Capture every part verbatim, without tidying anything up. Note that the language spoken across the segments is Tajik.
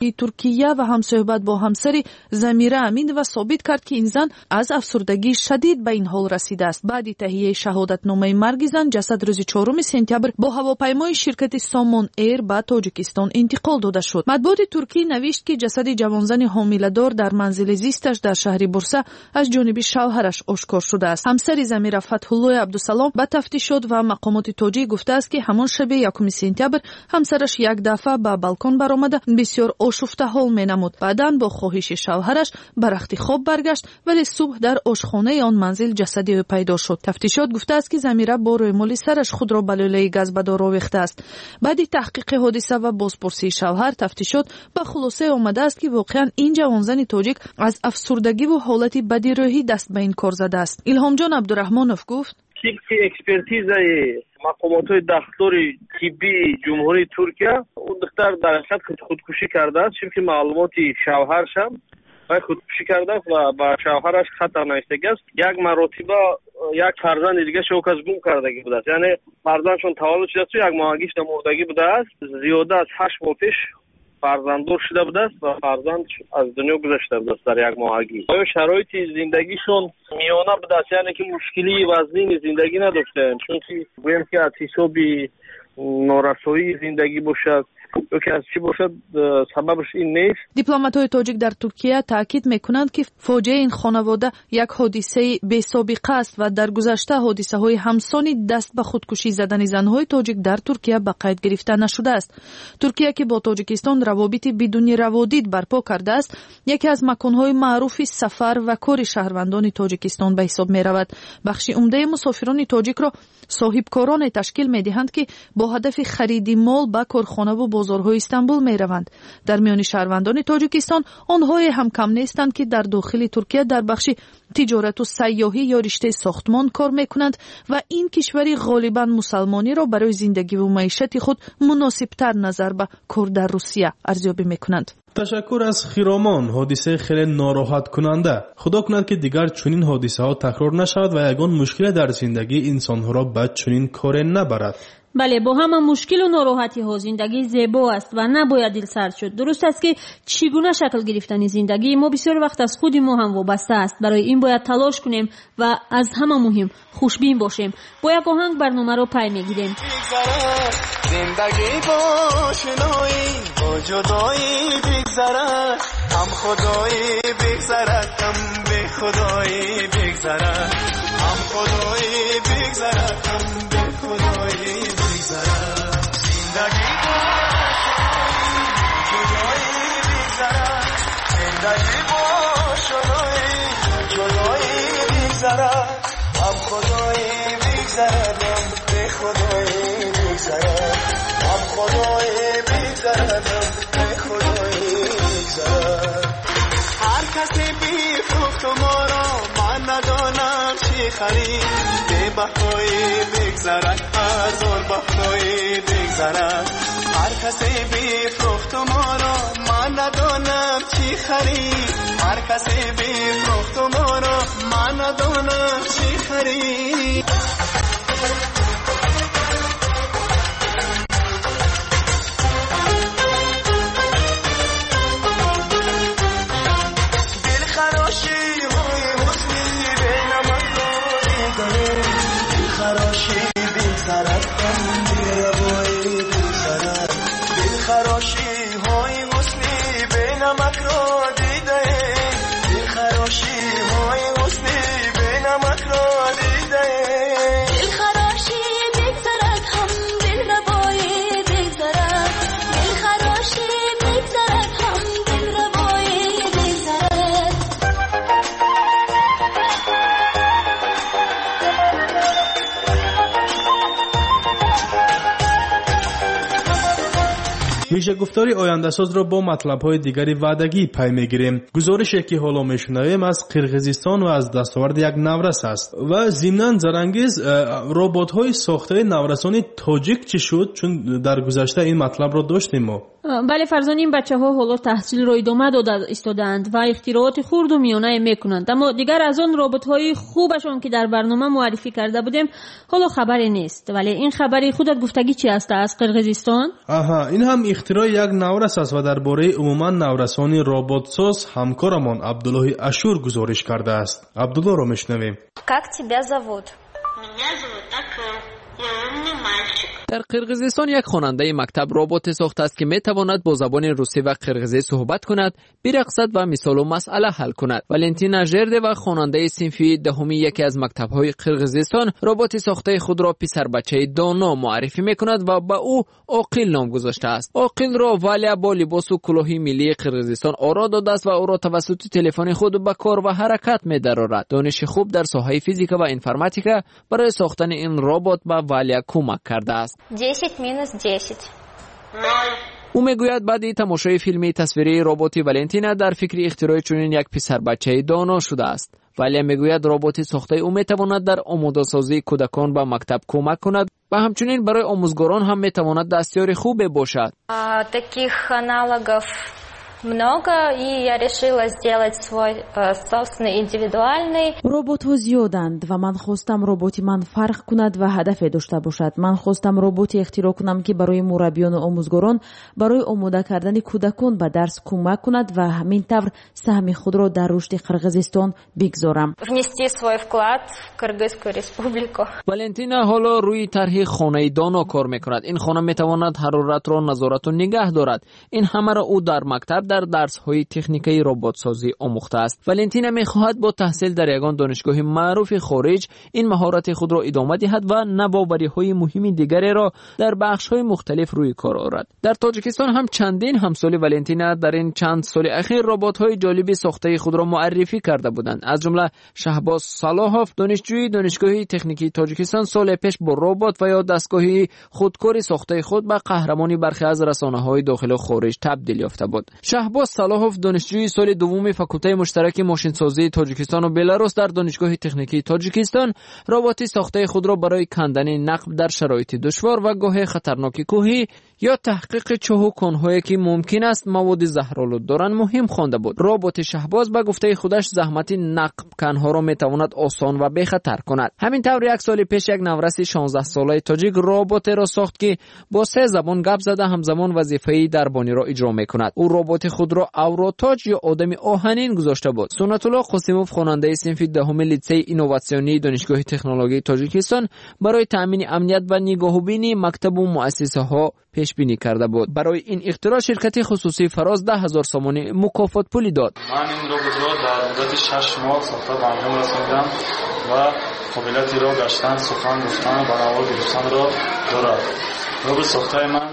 Туркия ва ҳамсӯҳбат бо ҳамсари Замира Аминова собит кард, ки ин зан аз афсурдагии шадид ба ин ҳол расидааст. Баъди таҳияи шаҳодатномаи марги зан, ҷасад рӯзи чоруми сентябр бо ҳавопаймои ширкати Сомон Эйр ба Тоҷикистон интиқол дода шуд. Матбуоти туркӣ навишт, ки ҷасади ҷавонзани ҳомиладор дар манзили зисташ дар шаҳри Бурса аз ҷониби шавҳараш ошкор шудааст. Ҳамсари Замира Фатҳуллои Абдусалом ба тафтишот ва мақомоти тоҷик гуфтааст, ки ҳамон шаби якуми сентябр ҳамсараш як дафъа ба балкон баромада бисёр ошуфта ҳол менамуд. Баъдан бо хоҳиши шавҳараш ба рахти хоб баргашт, вале субҳ дар ошхонаи он манзил ҷасади ӯ пайдо шуд. Тафтишот гуфтааст, ки Замира бо рӯймоли сараш худро ба лӯлаи газбадор овехтааст. Баъди таҳқиқи ҳодиса ва бозпурсии шавҳар, тафтишот ба хулосае омадааст, ки воқеан ин ҷавонзани тоҷик аз афсурдагиву ҳолати бади рӯҳӣ даст ба ин кор задааст. Илҳомҷон Абдураҳмонов гуфт: тибқи экспертизаи мақомотҳои дахлдори тиббии Ҷумҳурии Туркия, он духтар дар ҳақиқат худкушӣ кардааст. Чунки маълумоти шавҳаршам вай худкушӣ кардааст ва ба шавҳараш хатар навиштагиаст. Як маротиба як фарзанди дигараш ӯ кас гум кардагӣ будааст, яъне фарзандшон таваллуд шудааст, як моҳагиш мурдагӣ будааст. Зиёда аз ҳашт моҳ пеш фарзанддор шуда будааст ва фарзанд аз дунё гузашта будааст дар як моҳагӣ. Оё шароити зиндагишон миёна будааст, яъне ки мушкилии вазнини зиндагӣ надоштаанд, чунки гӯем ки аз ҳисоби норасоии зиндагӣ бошад ё ки аз чӣ бошад, сабабаш ин нест. Дипломатҳои тоҷик дар Туркия таъкид мекунанд, ки фоҷиаи ин хонавода як ҳодисаи бесобиқа аст ва дар гузашта ҳодисаҳои ҳамсони даст ба худкушӣ задани занҳои тоҷик дар Туркия ба қайд гирифта нашудааст. Туркия, ки бо Тоҷикистон равобити бидуни раводид барпо кардааст, яке аз маконҳои маъруфи сафар ва кори шаҳрвандони Тоҷикистон ба ҳисоб меравад. Бахши умдаи мусофирони тоҷикро соҳибкороне ташкил медиҳанд, ки бо ҳадафи хариди мол ба корхонаву бозорҳои Истанбул мераванд. Дар миёни шаҳрвандони Тоҷикистон онҳое ҳам кам нестанд, ки дар дохили Туркия дар бахши тиҷорату сайёҳӣ ё риштаи сохтмон кор мекунанд ва ин кишвари ғолибан мусалмониро барои зиндагиву маишати худ муносибтар назар ба кор дар Русия арзёбӣ мекунанд. Ташаккур аз Хиромон. Ҳодисаи хеле нороҳаткунанда. Худо кунад, ки дигар чунин ҳодисаҳо такрор нашавад ва ягон мушкиле дар зиндагии инсонҳоро ба чунин коре набарад. Бале, бо ҳама мушкилу нороҳатиҳо зиндагӣ зебо аст ва набояд дилсард шуд. Дуруст аст, ки чӣ гуна шакл гирифтани зиндагии мо бисёр вақт аз худи мо ҳам вобаста аст. Барои ин бояд талош кунем ва аз ҳама муҳим хушбин бошем. Бо як оҳанг барномаро пай мегирем. Зиндагӣ бо ошноӣ, бо ҷудоӣ бигзарад, ҳам худоӣ бигзарад, ҳам бехудоӣ бигзарад, ҳам худоӣ бигзарад, ҳам бехудоӣ бигзарад. Зиндагӣ бо ошноӣ, бо ҷудоӣ бигзарад, зиндагӣ бо ошноӣ, бо ҷудоӣ бигзарад, ҳам худоӣ бигзарад, ҳам бехудоӣ бигзарад, ҳам худоӣ бигзарад, ҳам бехудоӣ бигзарад. Ҳар касе бифрӯхт моро, ман надонам чӣ харид, бебаҳоӣ бигзарад, ҳазор баҳоӣ бигзарад. Ҳар касе бифрӯхт моро, ман надонам чӣ харид, ҳар касе бифрӯхт моро, ман надонам чӣ харид. دلخراشی بگذرد، هم بی‌روایی بگذرد، دلخراشی های حسنی به نمک را دیده، دلخراشی های حسنی به نمک را دیده. دلخراشی بگذرد، هم دلربایی بگذرد، دلخراشی بگذرد، هم دلربایی بگذرد. Вижагуфтори ояндасозро бо матлабҳои дигари ваъдагӣ пай мегирем. Гузорише, ки ҳоло мешунавем, аз Қирғизистон ва аз дастоварди як наврас аст. Ва зимнан, Зарангиз, роботҳои сохтаи наврасони тоҷик чӣ шуд? Чун дар гузашта ин матлабро доштем мо. Бале Фарзон, ин бачаҳо ҳоло таҳсилро идома дода истодаанд ва ихтирооти хурду миёнае мекунанд. Аммо дигар аз он роботҳои хубашон, ки дар барнома муаррифӣ карда будем, ҳоло хабаре нест. Вале ин хабари худат гуфтагӣ чи аст аз Қирғизистон? Аҳа, ин ҳам ихтирои як наврас аст ва дар бораи умуман наврасони роботсоз ҳамкорамон Абдуллоҳи Ашур гузориш кардааст. Абдуллоҳро мешунавем. Как тебя зовут? Меня зовут Акыл. Я умный мальчик. Дар Қирғизистон як хонандаи мактаб роботе сохтааст, ки метавонад бо забони русӣ ва қирғизӣ суҳбат кунад, бирақсад ва мисолу масъала ҳал кунад. Валентина Жердева, хонандаи синфи даҳуми яке аз мактабҳои Қирғизистон, роботи сохтаи худро писарбачаи доно муаррифӣ мекунад ва ба ӯ Оқил ном гузоштааст. Оқилро Валя бо либосу кулоҳи миллии Қирғизистон оро додааст ва ӯро тавассути телефони худ ба кор ва ҳаракат медарорад. Дониши хуб дар соҳаи физика ва информатика барои сохтани ин робот ба Валя кӯмак кардааст. Десять минус десять. Ноль. Ӯ мегӯяд, баъди тамошои филми тасвирии роботи Валентина дар фикри ихтирои чунин як писарбачаи доно шудааст. Валя мегӯяд, роботи сохтаи ӯ метавонад дар омодасозии кӯдакон ба мактаб кӯмак кунад ва ҳамчунин барои омӯзгорон ҳам метавонад дастёри хубе бошад. Таких аналогов много, и я решила сделать свой э, собственный индивидуальный. Роботҳо зиёданд ва ман хостам роботи ман фарқ кунад ва ҳадафе дошта бошад. Ман хостам роботе ихтироъ кунам, ки барои мураббиёну омӯзгорон барои омода кардани кӯдакон ба дарс кӯмак кунад ва ҳамин тавр саҳми худро дар рушди Қирғизистон бигзорам. Внести свой вклад в Кыргызскую республику. Валентина ҳоло рӯи тарҳи хонаи доно кор мекунад. Ин хона метавонад ҳароратро назорату нигаҳ дорад. Ин ҳамаро ӯ дар мактаб дар дарсҳои техникаи роботсозӣ омӯхтааст. Валентина мехоҳад бо таҳсил дар ягон донишгоҳи маъруфи хориҷ ин маҳорати худро идома диҳад ва навовариҳои муҳими дигареро дар бахшҳои мухталиф рӯи кор орад. Дар Тоҷикистон ҳам чандин ҳамсоли Валентина дар ин чанд соли ахир роботҳои ҷолиби сохтаи худро муаррифӣ карда буданд. Аз ҷумла Шаҳбоз Салоҳов, донишҷӯи Донишгоҳи техникии Тоҷикистон, соле пеш бо робот ва ё дастгоҳи худкори сохтаи худ ба қаҳрамони бархе аз расонаҳои дохилу хориҷ табдил ёфта буд. Шаҳбоз Салоҳов, донишҷӯи соли дуввуми факултаи муштараки мошинсозии Тоҷикистону Беларус дар Донишгоҳи техникии Тоҷикистон, роботи сохтаи худро барои кандани нақб дар шароити душвор ва гоҳе хатарноки кӯҳӣ ё таҳқиқи чоҳу конҳое, ки мумкин аст маводи заҳролуд доранд, муҳим хонда буд. Роботи Шаҳбоз ба гуфтаи худаш заҳмати нақбканҳоро метавонад осон ва бехатар кунад. Ҳамин тавр як соли пеш як навраси шонздаҳсолаи тоҷик роботеро сохт, ки бо се забон гап зада ҳамзамон вазифаи дарбониро иҷро мекунад. Ӯ роботи худро Авротоҷ ё одами оҳанин гузошта буд. Суннатулло Қосимов, хонандаи синфи даҳуми литсеи инноватсионии Донишгоҳи технологияи Тоҷикистон, барои таъмини амният ва нигоҳубини мактабу муассисаҳо пешбинӣ карда буд. Барои ин ихтироъ ширкати хусусии Фароз даҳ ҳазор сомонӣ мукофотпулӣ дод. Ман ин роботро дар муддати шаш моҳ сохта ба анҷом расонидам ва қобилияти роҳ гаштан, сухан гуфтан ва навор гирифтанро дорад. Робот сохтаи ман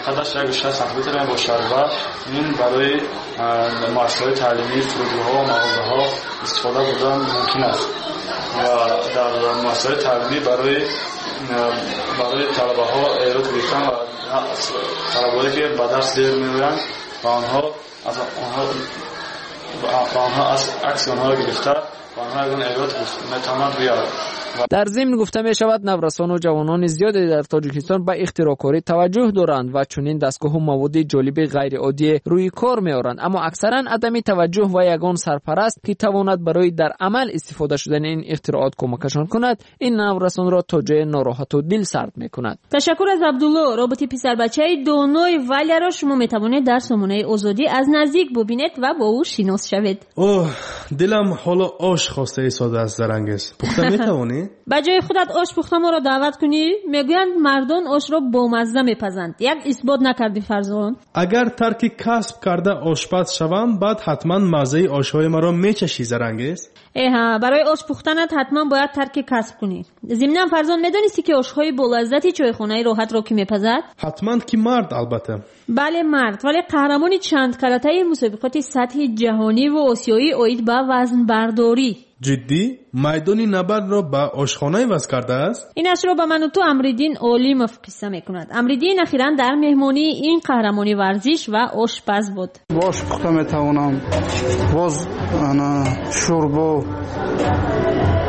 қадаш як шаст сантиметр мебошад ва ин барои муассисаҳои таълимӣ, фурудгоҳҳо ва мағозаҳо истифода бурдан мумкин аст ва дар муассисаҳои таълимӣ барои барои талабаҳо эрод гирифтан ва талабаҳое ки ба дарс дер меоянд ва онҳо аз онҳо ва онҳо аз акси онҳоро гирифта ва онҳо ягон эрод метавонанд биёранд. Дар зимн гуфта мешавад, наврасону ҷавонони зиёде дар Тоҷикистон ба ихтироъкорӣ таваҷҷӯҳ доранд ва чунин дастгоҳу маводи ҷолиби ғайриоддие рӯи кор меоранд, аммо аксаран адами таваҷҷӯҳ ва ягон сарпараст, ки тавонад барои дар амал истифода шудани ин ихтироот кӯмакашон кунад, ин наврасонро то ҷое нороҳату дилсард мекунад. Ташаккур аз Абдулло. Роботи писарбачаи донои Валяро шумо метавонед дар сомонаи Озодӣ аз наздик бубинед ва бо ӯ шинос шавед. Оҳ, дилам ҳоло ош хоста истодааст. Зарангез, пухта метавонӣ? Ба ҷои худат ош пухта моро даъват кунӣ? Мегӯянд, мардон ошро бомазза мепазанд. Як исбот накардӣ, Фарзон. Агар тарки касб карда ошпаз шавам, баъд ҳатман маззаи ошҳои маро мечашӣ, Зарангез. Эҳа, барои ош пухтанат ҳатман бояд тарки касб кунӣ. Зимнан, Фарзон, медонистӣ, ки ошҳои болаззати чойхонаи Роҳатро кӣ мепазад? Ҳатман ки мард, албатта. Бале, мард, вале қаҳрамони чандкаратаи мусобиқоти сатҳи ҷаҳониву осиёӣ оид ба вазнбардорӣ. Ҷиддӣ? Майдони набардро ба ошхона иваз кардааст? Инашро ба ману ту Амриддин Олимов қисса мекунад. Амриддин ахиран дар меҳмонии ин қаҳрамони варзиш ва ошпаз буд. Ош пухта метавонам, боз шӯрбо.